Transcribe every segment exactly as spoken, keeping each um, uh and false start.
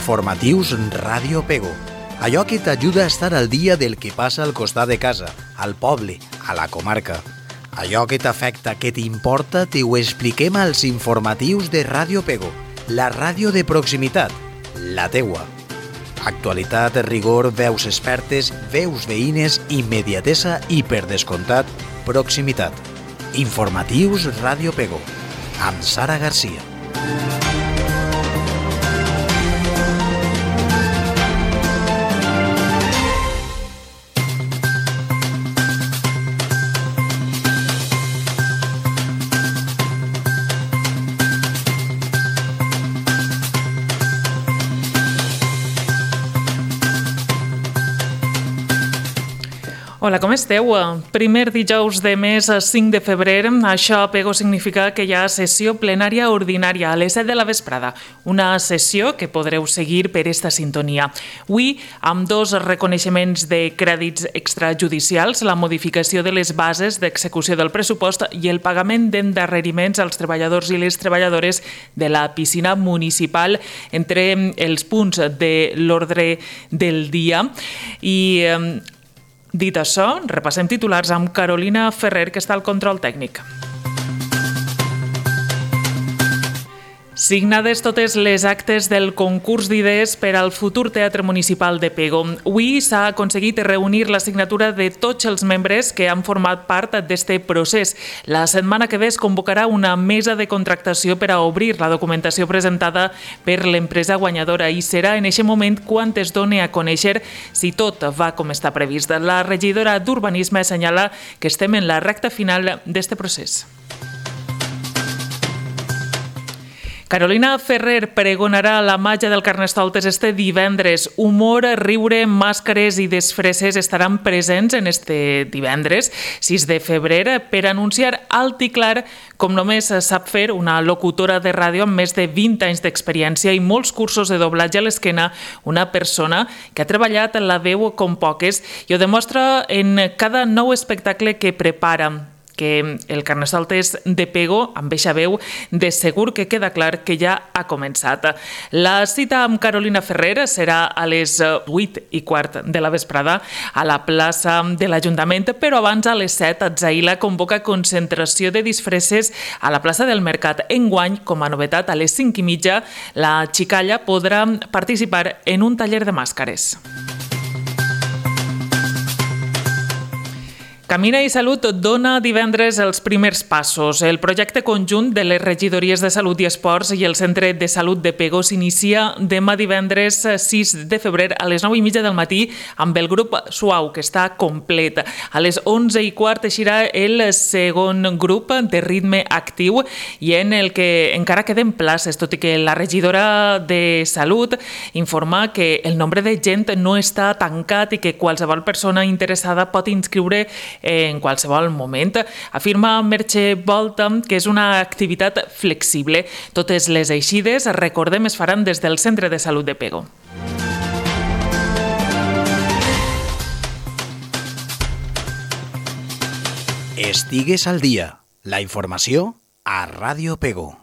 Informatius Ràdio Pego. Allò que t'ajuda a estar al dia del que passa al costat de casa, al poble, a la comarca. Allò que t'afecta, que t'importa, te ho expliquem als informatius de Ràdio Pego, la ràdio de proximitat, la teua. Actualitat, rigor, veus expertes, veus veïnes, immediatesa i, per descomptat, proximitat. Informatius Ràdio Pego, amb Sara Garcia. Hola, com esteu? Primer dijous de mes, cinc de febrer. Això a Pego significa que hi ha sessió plenària ordinària a les set de la vesprada. Una sessió que podreu seguir per esta sintonia. Avui, amb dos reconeixements de crèdits extrajudicials, la modificació de les bases d'execució del pressupost i el pagament d'endarreriments als treballadors i les treballadores de la piscina municipal, entre els punts de l'ordre del dia. I dit això, repassem titulars amb Carolina Ferrer, que està al control tècnic. Signades totes les actes del concurs d'idees per al futur Teatre Municipal de Pego. Avui s'ha aconseguit reunir la signatura de tots els membres que han format part d'aquest procés. La setmana que ve es convocarà una mesa de contractació per a obrir la documentació presentada per l'empresa guanyadora i serà en aquest moment quan es doni a conèixer si tot va com està previst. La regidora d'Urbanisme assenyala que estem en la recta final d'aquest procés. Carolina Ferrer pregonarà la màgia del Carnestoltes este divendres. Humor, riure, màscares i desfresses estaran presents en este divendres, sis de febrer, per anunciar alt i clar, com només sap fer una locutora de ràdio amb més de vint anys d'experiència i molts cursos de doblatge a l'esquena, una persona que ha treballat la veu com poques i ho demostra en cada nou espectacle que prepara, que el Carnestoltes de Pego, amb eixa veu, de segur que queda clar que ja ha començat. La cita amb Carolina Ferrer serà a les vuit i quart de la vesprada a la plaça de l'Ajuntament, però abans a les set Atzaïla convoca concentració de disfresses a la plaça del Mercat. Enguany, com a novetat, a les cinc i mitja, la xicalla podrà participar en un taller de màscares. Camina i Salut dona divendres els primers passos. El projecte conjunt de les regidories de Salut i Esports i el Centre de Salut de Pego s'inicia demà divendres sis de febrer a les nou i mitja del matí amb el grup Suau, que està complet. A les onze i quart eixirà el segon grup de ritme actiu i en el que encara queden places, tot i que la regidora de Salut informa que el nombre de gent no està tancat i que qualsevol persona interessada pot inscriure en qualsevol moment. Afirma Merche Volta que és una activitat flexible. Totes les eixides, recordem, es faran des del Centre de Salut de Pego. Estigues al dia. La informació a Ràdio Pego.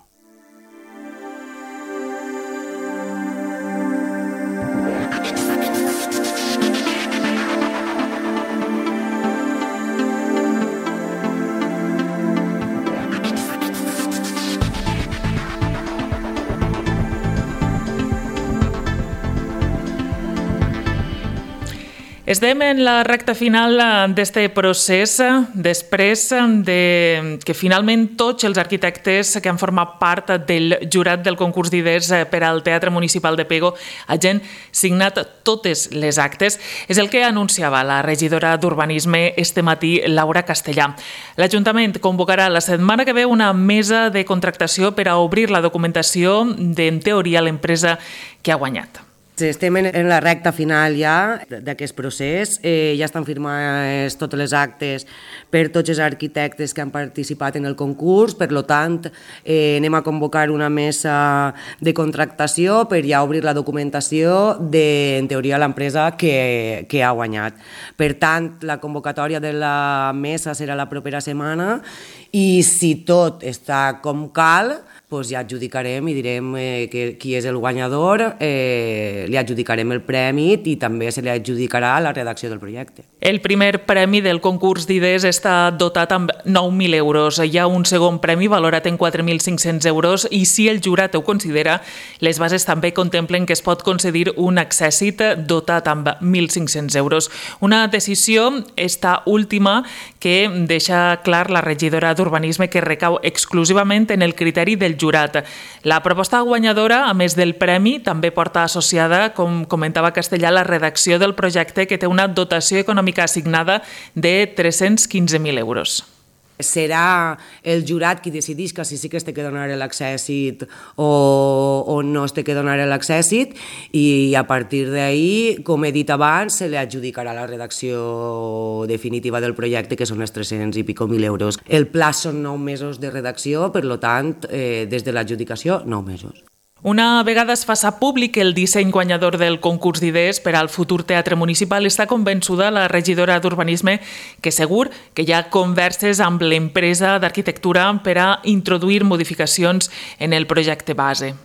Estem en la recta final d'aquest procés, després de que finalment tots els arquitectes que han format part del jurat del concurs d'idees per al Teatre Municipal de Pego hagin signat totes les actes. És el que anunciava la regidora d'Urbanisme este matí, Laura Castellà. L'Ajuntament convocarà la setmana que ve una mesa de contractació per a obrir la documentació d'en teoria l'empresa que ha guanyat. Estem en la recta final ja d'aquest procés, eh, ja estan firmades totes les actes per tots els arquitectes que han participat en el concurs, per tant eh, anem a convocar una mesa de contractació per ja obrir la documentació de, en teoria, l'empresa que, que ha guanyat. Per tant, la convocatòria de la mesa serà la propera setmana i si tot està com cal, doncs ja adjudicarem i direm eh, que, qui és el guanyador, eh, li adjudicarem el premi i també se li adjudicarà la redacció del projecte. El primer premi del concurs d'idees està dotat amb nou mil euros. Hi ha un segon premi valorat en quatre mil cinc-cents euros i si el jurat ho considera, les bases també contemplen que es pot concedir un accèssit dotat amb mil cinc-cents euros. Una decisió, esta última, que deixa clar la regidora d'Urbanisme que recau exclusivament en el criteri del jurat. La proposta guanyadora, a més del premi, també porta associada, com comentava Castellà, la redacció del projecte que té una dotació econòmica assignada de tres-cents quinze mil euros. Serà el jurat qui decideix que si sí que es té que donar l'accèssit o, o no es té que donar l'accèssit i a partir d'ahir, com he dit abans, se li adjudicarà la redacció definitiva del projecte, que són els tres-cents i pico mil euros. El pla són nou mesos de redacció, per tant, eh, des de l'adjudicació, nou mesos. Una vegada es faça públic el disseny guanyador del concurs d'idees per al futur teatre municipal, està convençuda la regidora d'Urbanisme que segur que hi ha converses amb l'empresa d'arquitectura per a introduir modificacions en el projecte base.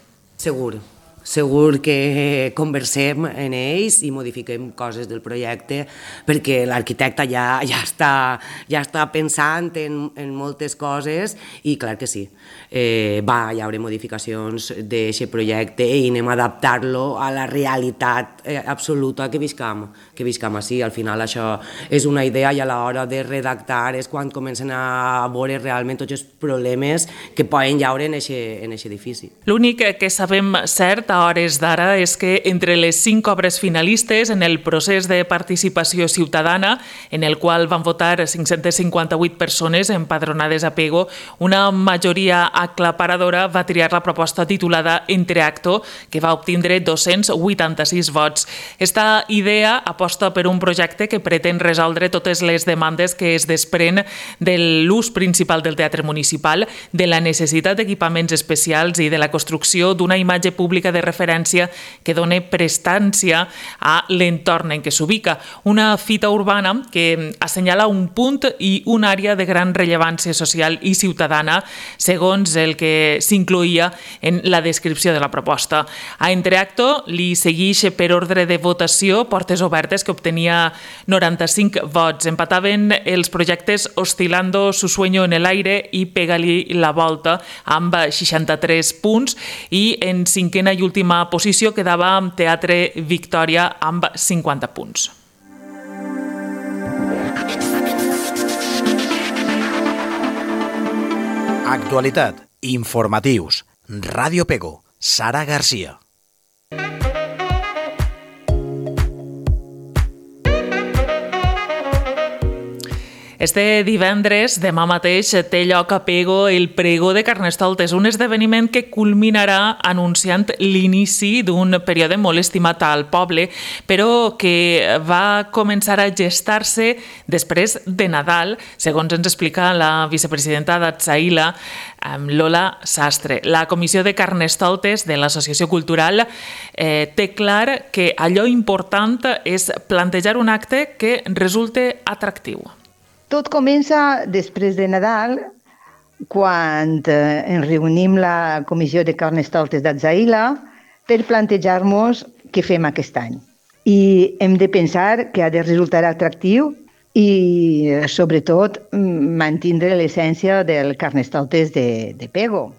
Segur. Segur que conversem en ells i modifiquem coses del projecte perquè l'arquitecte ja, ja, està, ja està pensant en, en moltes coses i clar que sí, eh, va, hi haurà modificacions d'aquest projecte i anem a adaptar-lo a la realitat eh, absoluta que viscam, que viscam així. Al final això és una idea i a l'hora de redactar és quan comencen a veure realment tots els problemes que poden haure en aquest edifici. L'únic que sabem cert a hores d'ara és que entre les cinc obres finalistes en el procés de participació ciutadana, en el qual van votar cinc-centes cinquanta-vuit persones empadronades a Pego, una majoria aclaparadora va triar la proposta titulada Entreacto, que va obtindre dos-cents vuitanta-sis vots. Esta idea aposta per un projecte que pretén resoldre totes les demandes que es desprèn de l'ús principal del teatre municipal, de la necessitat d'equipaments especials i de la construcció d'una imatge pública de referència que doni prestància a l'entorn en què s'ubica. Una fita urbana que assenyala un punt i una àrea de gran rellevància social i ciutadana, segons el que s'incloïa en la descripció de la proposta. A Entreacto li segueix per ordre de votació Portes Obertes, que obtenia noranta-cinc vots. Empataven els projectes Oscilando su sueño en el aire i Pega-li la volta amb seixanta-tres punts i en cinquena i última posició quedava Teatre Victòria amb cinquanta punts. Actualitat, informatius, Ràdio Pego, Sara Garcia. Este divendres, demà mateix, té lloc a Pego el Pregó de Carnestoltes, un esdeveniment que culminarà anunciant l'inici d'un període molt estimat al poble, però que va començar a gestar-se després de Nadal, segons ens explica la vicepresidenta d'Atzaïla, Lola Sastre. La Comissió de Carnestoltes de l'Associació Cultural eh, té clar que allò important és plantejar un acte que resulte atractiu. Tot comença després de Nadal, quan eh, ens reunim la Comissió de Carnestoltes d'Atzaïla per plantejar-nos què fem aquest any. I hem de pensar que ha de resultar atractiu i, sobretot, mantindre l'essència del Carnestoltes de, de Pego.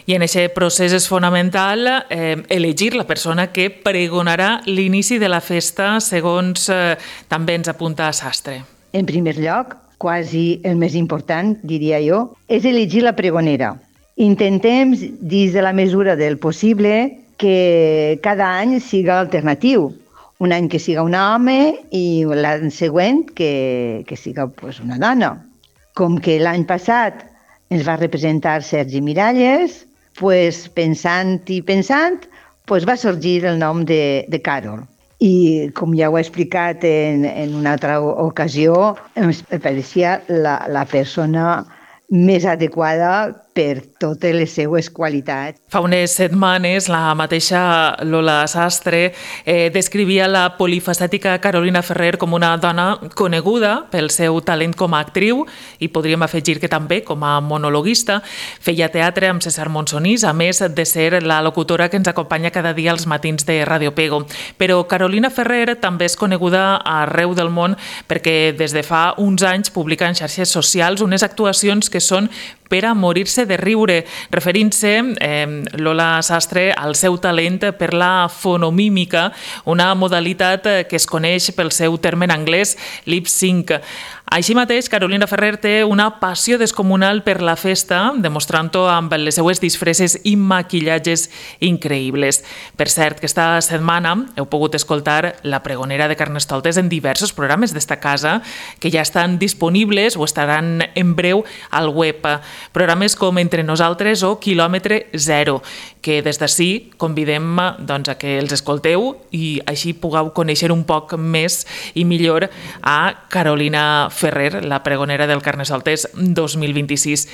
I en aquest procés és fonamental eh, elegir la persona que pregonarà l'inici de la festa, segons eh, també ens apunta Sastre. En primer lloc, quasi el més important, diria jo, és elegir la pregonera. Intentem, dins de la mesura del possible, que cada any siga alternatiu. Un any que siga un home i l'any següent que, que siga pues, una dona. Com que l'any passat ens va representar Sergi Miralles, pues, pensant i pensant, pues, va sorgir el nom de, de Carol. I, com ja ho he explicat en, en una altra ocasió, em pareixia la, la persona més adequada per totes les seues qualitats. Fa unes setmanes la mateixa Lola Sastre eh, descrivia la polifacètica Carolina Ferrer com una dona coneguda pel seu talent com a actriu i podríem afegir que també com a monologuista. Feia teatre amb César Monsonís, a més de ser la locutora que ens acompanya cada dia als matins de Radio Pego. Però Carolina Ferrer també és coneguda arreu del món perquè des de fa uns anys publica en xarxes socials unes actuacions que són per a morir-se de riure, referint-se eh, Lola Sastre al seu talent per la fonomímica, una modalitat que es coneix pel seu terme en anglès lip sync. Així mateix, Carolina Ferrer té una passió descomunal per la festa, demostrant-ho amb les seues disfresses i maquillatges increïbles. Per cert, que esta setmana heu pogut escoltar la pregonera de Carnestoltes en diversos programes d'esta casa que ja estan disponibles o estaran en breu al web. Programes com Entre Nosaltres o Quilòmetre Zero, que des d'ací convidem doncs, a que els escolteu i així pugueu conèixer un poc més i millor a Carolina Ferrer, la pregonera del Carnestoltes dos mil vint-i-sis.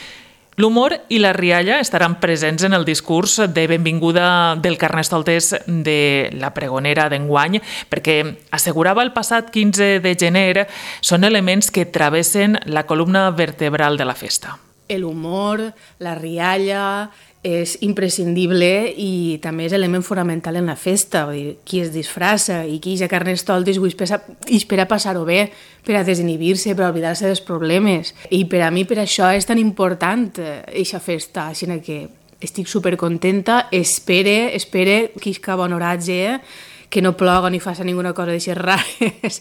L'humor i la rialla estaran presents en el discurs de benvinguda del Carnestoltes de la pregonera d'enguany, perquè assegurava el passat quinze de gener són elements que travessen la columna vertebral de la festa. El humor, la rialla, és imprescindible i també és element fonamental en la festa. Vull dir, qui es disfressa i qui ja Carnestoltes ho espera passar-ho bé, per a desinhibir-se, per a oblidar-se dels problemes. I per a mi per això és tan important eixa festa, així que estic supercontenta, espere, espere que isca bon oratge, que no ploga ni faci ninguna cosa d'aixes rares,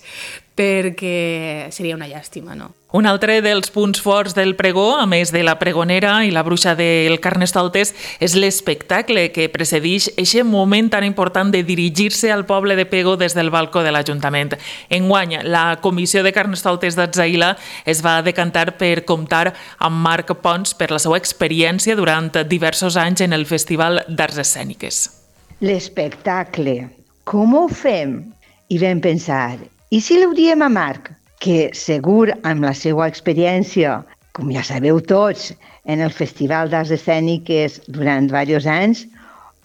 perquè seria una llàstima, no? Un altre dels punts forts del pregó, a més de la pregonera i la bruixa del Carnestoltes, és l'espectacle que precedeix aquest moment tan important de dirigir-se al poble de Pego des del balcó de l'Ajuntament. Enguany, la Comissió de Carnestoltes d'Atzaïla es va decantar per comptar amb Marc Pons per la seva experiència durant diversos anys en el Festival d'Arts Escèniques. L'espectacle, com ho fem? I vam pensar, i si ho diem a Marc? Que segur, amb la seva experiència, com ja sabeu tots, en el Festival d'Arts Escèniques durant diversos anys,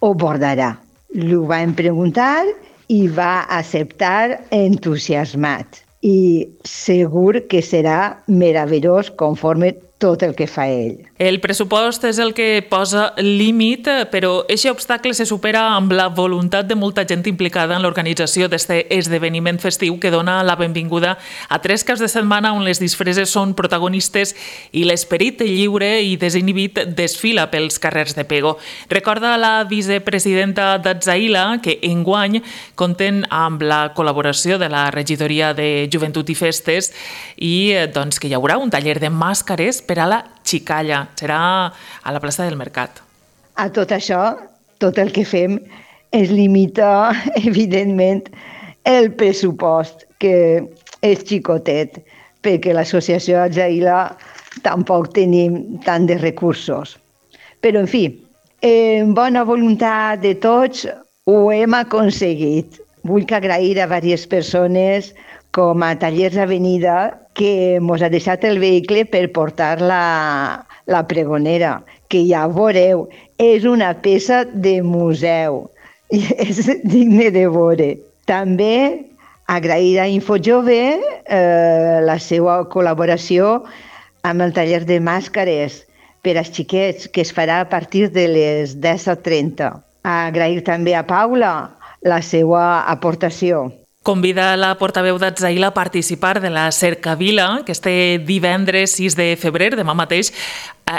ho abordarà. L'ho vam preguntar i va acceptar entusiasmat. I segur que serà meravellós conforme tot el que fa ell. El pressupost és el que posa límit, però aquest obstacle se supera amb la voluntat de molta gent implicada en l'organització d'aquest esdeveniment festiu que dona la benvinguda a tres caps de setmana on les disfresses són protagonistes i l'esperit lliure i desinhibit desfila pels carrers de Pego. Recorda la vicepresidenta d'Atzaïla que enguany compten amb la col·laboració de la regidoria de Joventut i Festes i doncs, que hi haurà un taller de màscares per a la xicalla. Serà a la plaça del Mercat. A tot això, tot el que fem es limita, evidentment, el pressupost, que és xicotet, perquè l'associació Atzaïla tampoc tenim tant de recursos. Però, en fi, en bona voluntat de tots ho hem aconseguit. Vull agrair a diverses persones com a Tallers Avenida, que ens ha deixat el vehicle per portar la, la pregonera, que ja veureu, és una peça de museu, és digne de veure. També agrair a Infojove eh, la seva col·laboració amb el taller de màscares per als xiquets, que es farà a partir de les disset trenta. Agrair també a Paula la seva aportació. Convida la portaveu d'Atzaïla a participar de la Cercavila, que este divendres sis de febrer, demà mateix,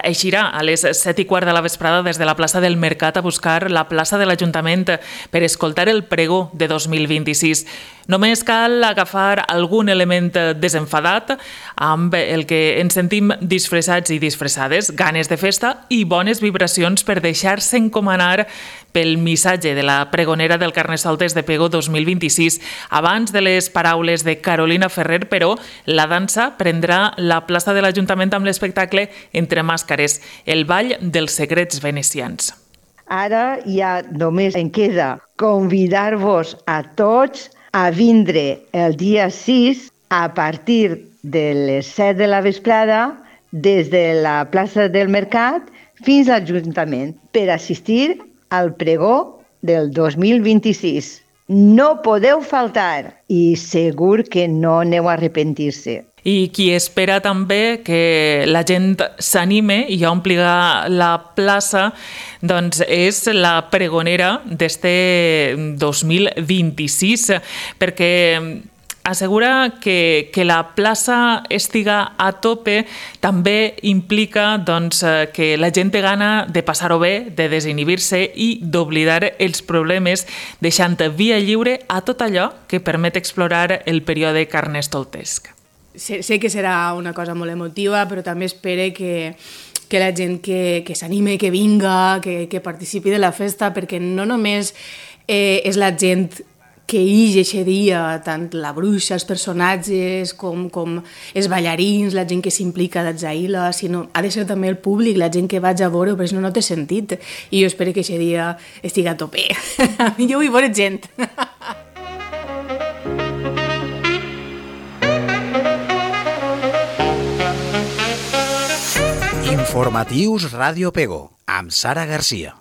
eixirà a les set i quart de la vesprada des de la plaça del Mercat a buscar la plaça de l'Ajuntament per escoltar el pregó de dos mil vint-i-sis. Només cal agafar algun element desenfadat amb el que ens sentim disfressats i disfressades, ganes de festa i bones vibracions per deixar-se encomanar pel missatge de la pregonera del Carnestoltes de Pego dos mil vint-i-sis. Abans de les paraules de Carolina Ferrer, però, la dansa prendrà la plaça de l'Ajuntament amb l'espectacle Entre Màscares, el ball dels secrets venecians. Ara ja només em queda convidar-vos a tots a vindre el dia sis a partir de les set de la vesprada des de la plaça del Mercat fins a l'Ajuntament per assistir al pregó del dos mil vint-i-sis. No podeu faltar i segur que no aneu a arrepentir-se. I qui espera també que la gent s'anime i ompliga la plaça, doncs és la pregonera d'este dos mil vint-i-sis, perquè assegura que, que la plaça estiga a tope també implica doncs, que la gent té gana de passar-ho bé, de desinhibir-se i d'oblidar els problemes, deixant via lliure a tot allò que permet explorar el període carnestoltesc. Sé, sé que serà una cosa molt emotiva, però també espere que, que la gent que, que s'anime, que vinga, que, que participi de la festa, perquè no només eh, és la gent que ix eixe dia, tant la bruixa, els personatges, com, com els ballarins, la gent que s'implica d'Atzaïla, sinó ha de ser també el públic, la gent que vaig a veure, però si no, no té sentit. I jo espero que eixe dia estigui a tope. Jo vull veure gent. Informatius Ràdio Pego, amb Sara Garcia.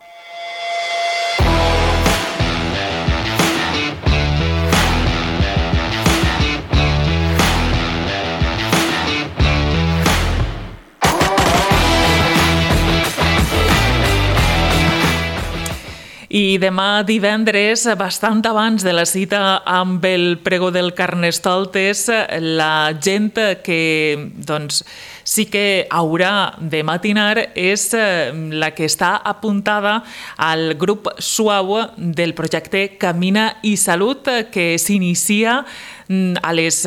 I demà divendres, bastant abans de la cita amb el pregó del Carnestoltes, la gent que doncs, sí que haurà de matinar és la que està apuntada al grup suau del projecte Camina i Salut, que s'inicia a les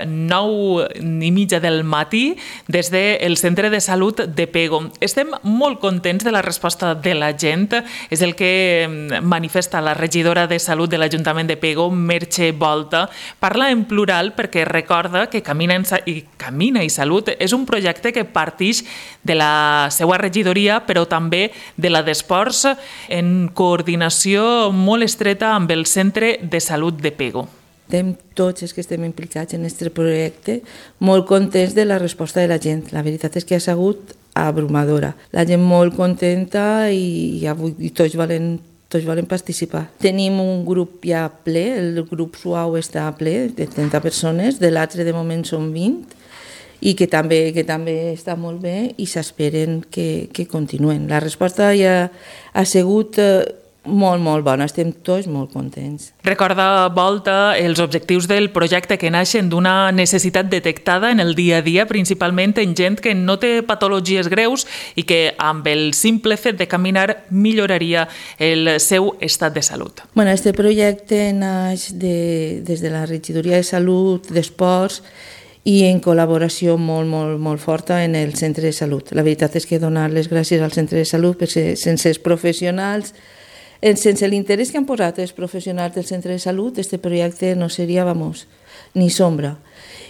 nou i mitja del matí des del Centre de Salut de Pego. Estem molt contents de la resposta de la gent. És el que manifesta la regidora de Salut de l'Ajuntament de Pego, Merche Volta. Parla en plural perquè recorda que Camina i, Camina i Salut és un projecte que partix de la seva regidoria, però també de la d'Esports, en coordinació molt estreta amb el Centre de Salut de Pego. Estem tots els que estem implicats en aquest projecte molt contents de la resposta de la gent. La veritat és que ha sigut abrumadora. La gent molt contenta i, avui, i tots volen, tots volen participar. Tenim un grup ja ple, el grup suau està ple, de trenta persones, de l'altre de moment són vint, i que també, que també està molt bé i s'esperen que, que continuen. La resposta ja ha sigut molt, molt bona, estem tots molt contents. Recorda Volta els objectius del projecte que naixen d'una necessitat detectada en el dia a dia, principalment en gent que no té patologies greus i que amb el simple fet de caminar milloraria el seu estat de salut. Bueno, este projecte naix de, des de la Regidoria de Salut, d'Esports, i en col·laboració molt, molt, molt forta en el Centre de Salut. La veritat és que donar les gràcies al Centre de Salut perquè sense els professionals, sense l'interès que han posat els professionals del Centre de Salut, este projecte no seria, vamos, ni sombra.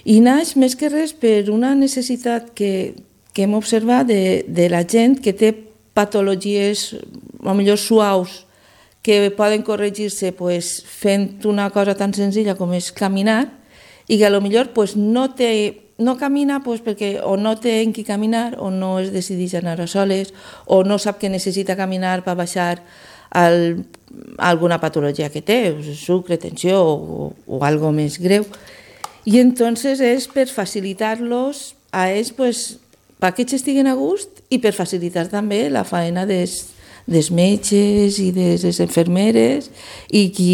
I naix més que res per una necessitat que, que hem observat de, de la gent que té patologies, potser suaus, que poden corregir-se pues, fent una cosa tan senzilla com és caminar, i que potser pues, no, té, no camina pues, perquè o no té en qui caminar, o no es decideix anar a soles, o no sap que necessita caminar per baixar al, alguna patologia que té, sucre, tensió o, o algo més greu. I entonces és per facilitar-los a ells, pues, perquè ells estiguen a gust i per facilitar també la faena des, des metges i des les infermeres i, qui,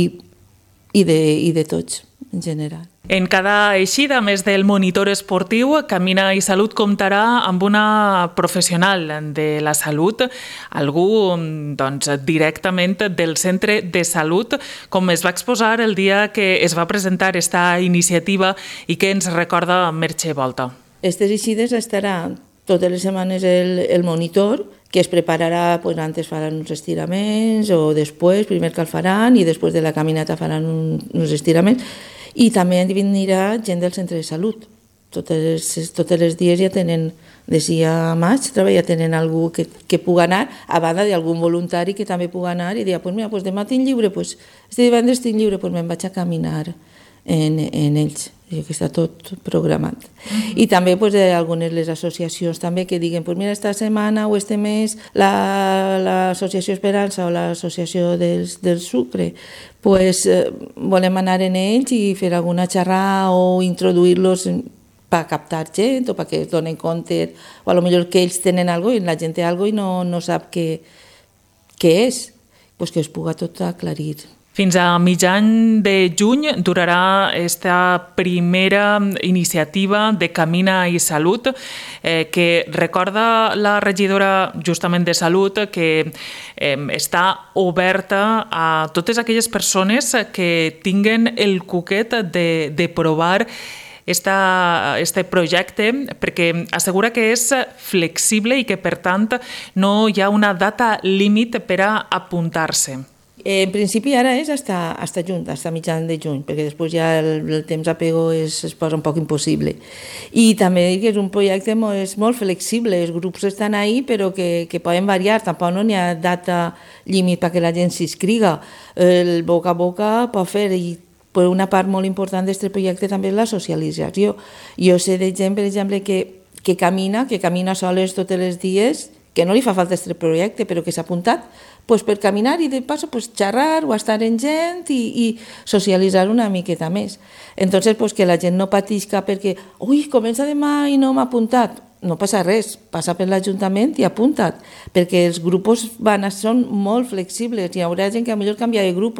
i, de, i de tots en general. En cada eixida, a més del monitor esportiu, Camina i Salut comptarà amb una professional de la salut, algú doncs, directament del Centre de Salut, com es va exposar el dia que es va presentar aquesta iniciativa i que ens recorda Merche Volta. Aquestes eixides estarà totes les setmanes el, el monitor, que es prepararà, pues, antes faran uns estiraments, o després, primer que el faran, i després de la caminata faran un, uns estiraments, i també vindrà gent del Centre de Salut. Totes, totes les dies ja tenen, des a maig, ja tenen algú que, que pugui anar, a banda d'algun voluntari que també pugui anar i dir, pues mira, pues demà tinc lliure, pues este divendres tinc lliure, pues me'n vaig a caminar en, en ells, que està tot programat. Uh-huh. I també pues, algunes les associacions també que diguen, pues mira, esta setmana o este mes l'Associació la, Esperança o l'Associació del, del Sucre, pues, eh, volem anar en ells i fer alguna xerrada o introduir-los per captar gent o perquè es donen compte, o a lo millor que ells tenen alguna cosa i la gent té alguna cosa i no, no sap què, què és, pues que es puga tot aclarir. Fins a mitjan de juny durarà esta primera iniciativa de Camina i Salut, eh, que recorda la regidora justament de Salut que eh, està oberta a totes aquelles persones que tinguen el cuquet de, de provar Esta, este projecte, perquè assegura que és flexible i que, per tant, no hi ha una data límit per a apuntar-se. En principi ara és hasta, hasta juny, hasta mitjan de juny, perquè després ja el, el temps apego es, es posa un poc impossible. I també dic que és un projecte molt, és molt flexible, els grups estan ahí però que, que poden variar, tampoc no n'hi ha data límit perquè la gent s'inscriga. El boca a boca pot fer, i per una part molt important d'aquest projecte també és la socialització. Jo sé de gent, per exemple, que, que camina, que camina soles tots els dies, que no li fa falta aquest projecte, però que s'ha apuntat pues, per caminar i de passo pues, xerrar o estar en gent i, i socialitzar una miqueta més. Entonces, pues, que la gent no patisca perquè ui, comença demà i no m'ha apuntat. No passa res, passa per l'Ajuntament i apunta't, perquè els grups van a, són molt flexibles. Hi haurà gent que a millor canvia de grup,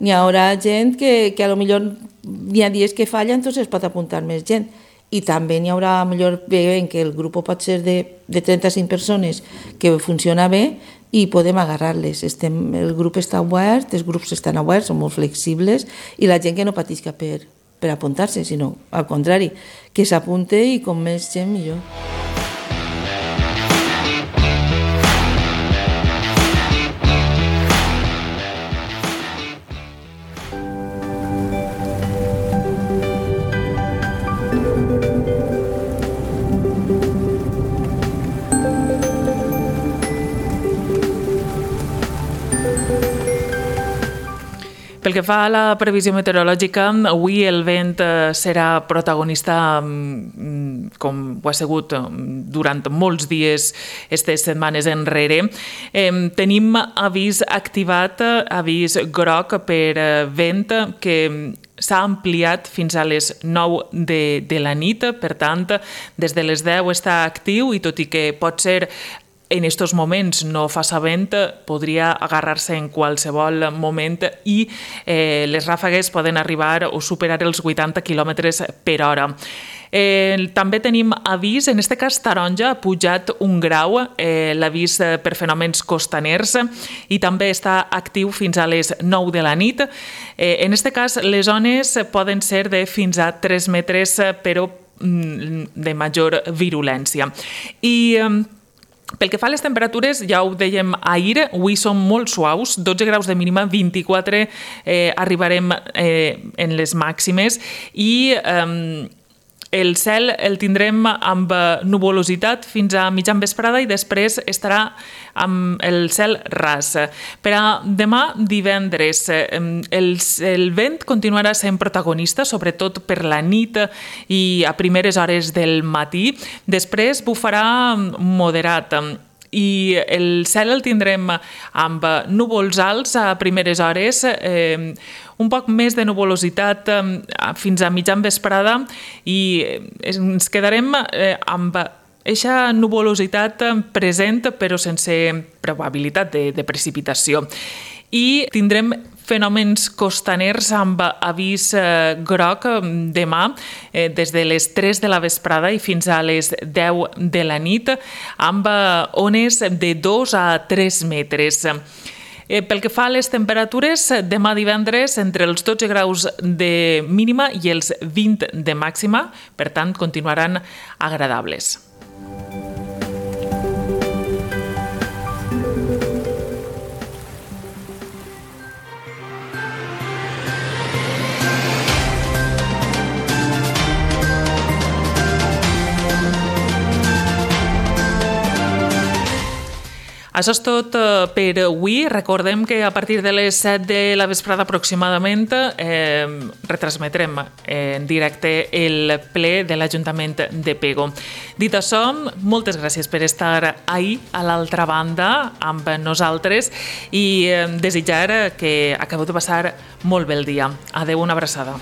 n'hi haurà gent que, que a lo millor n'hi ha dies que falla, entonces pot apuntar més gent. I també n'hi haurà, a millor, veient que el grup pot ser de, de trenta-cinc persones que funciona bé i podem agarrar-les. Estem, el grup està obert, els grups estan oberts, són molt flexibles i la gent que no patisca per, per apuntar-se, sinó al contrari, que s'apunte i com més gent millor. Pel que fa a la previsió meteorològica, avui el vent serà protagonista, com ho ha sigut durant molts dies, aquestes setmanes enrere. Tenim avís activat, avís groc per vent, que s'ha ampliat fins a les nou de, de la nit, per tant, des de les deu està actiu i tot i que pot ser en aquests moments no fa vent, podria agarrar-se en qualsevol moment i eh, les ràfegues poden arribar o superar els vuitanta quilòmetres per hora. Eh, també tenim avís, en aquest cas taronja, ha pujat un grau, eh, l'avís per fenòmens costaners i també està actiu fins a les nou de la nit. Eh, en aquest cas les ones poden ser de fins a tres metres, però de major virulència. I eh, pel que fa a les temperatures, ja ho dèiem ahir, avui són molt suaus, dotze graus de mínima, vint-i-quatre eh, arribarem eh, en les màximes i eh, el cel el tindrem amb nuvolositat fins a mitjan vesprada i després estarà amb el cel ras. Per a demà, divendres, el, el vent continuarà sent protagonista, sobretot per la nit i a primeres hores del matí. Després bufarà moderat i el cel el tindrem amb núvols alts a primeres hores, eh, un poc més de nuvolositat eh, fins a mitjan vesprada i ens quedarem eh, amb eixa nuvolositat present però sense probabilitat de, de precipitació. I tindrem fenòmens costaners amb avís eh, groc demà eh, des de les tres de la vesprada i fins a les deu de la nit amb ones de dos a tres metres. Eh, pel que fa a les temperatures, demà divendres entre els dotze graus de mínima i els vint de màxima, per tant continuaran agradables. Això és tot per avui. Recordem que a partir de les set de la vesprada aproximadament eh, retransmetrem en directe el ple de l'Ajuntament de Pego. Dit això, moltes gràcies per estar ahí a l'altra banda amb nosaltres i desitjar que acabeu de passar molt bé el dia. Adeu, una abraçada.